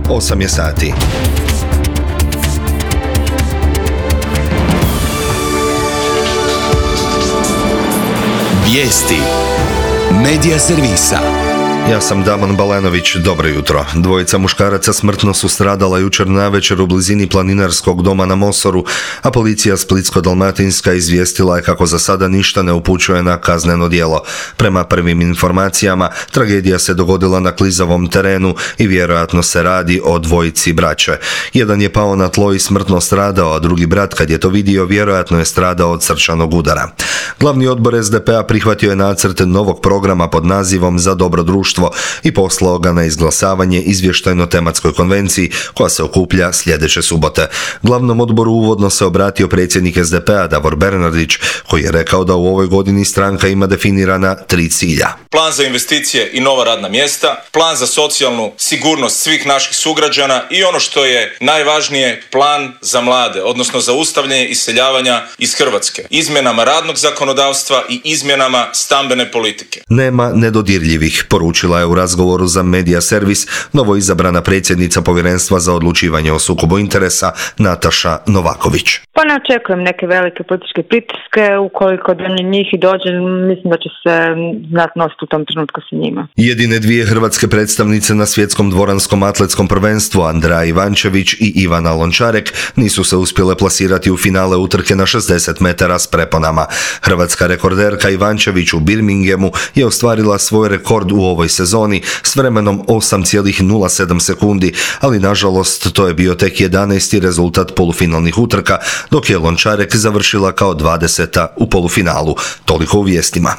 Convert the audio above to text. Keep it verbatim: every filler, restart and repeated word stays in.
osam je sati. Vijesti Medija servisa. Ja sam Damon Balanović, dobro jutro. Dvojica muškaraca smrtno su stradala jučer navečer u blizini planinarskog doma na Mosoru, a policija Splitsko-dalmatinska izvijestila je kako za sada ništa ne upućuje na kazneno djelo. Prema prvim informacijama, tragedija se dogodila na klizavom terenu i vjerojatno se radi o dvojici braće. Jedan je pao na tlo i smrtno stradao, a drugi brat, kad je to vidio, vjerojatno je stradao od srčanog udara. Glavni odbor es de pe a prihvatio je nacrt novog programa pod nazivom Za dobro društvo i poslao ga na izglasavanje izvještajno-tematskoj konvenciji koja se okuplja sljedeće subote. Glavnom odboru uvodno se obratio predsjednik es de pe a Davor Bernardić, koji je rekao da u ovoj godini stranka ima definirana tri cilja. Plan za investicije i nova radna mjesta, plan za socijalnu sigurnost svih naših sugrađana i ono što je najvažnije, plan za mlade, odnosno za zaustavljanje iseljavanja iz Hrvatske, izmjenama radnog zakonodavstva i izmjenama stambene politike. Nema nedodirljivih, poručila je u razgovoru za Medija servis novoizabrana predsjednica Povjerenstva za odlučivanje o sukobu interesa Nataša Novaković. Pa ne očekujem neke velike političke pritiske, ukoliko do njih i dođe, mislim da će se znati nositi u tom trenutku sa njima. Jedine dvije hrvatske predstavnice na svjetskom dvoranskom atletskom prvenstvu, Andrea Ivančević i Ivana Lončarek, nisu se uspjele plasirati u finale utrke na šezdeset metara s preponama. Hrvatska rekorderka Ivančević u Birminghamu je ostvarila svoj rekord u ovoj sezoni s vremenom osam zarez nula sedam sekundi, ali nažalost to je bio tek jedanaesti rezultat polufinalnih utrka, dok je Lončarek završila kao dvadeseta u polufinalu. Toliko u vijestima.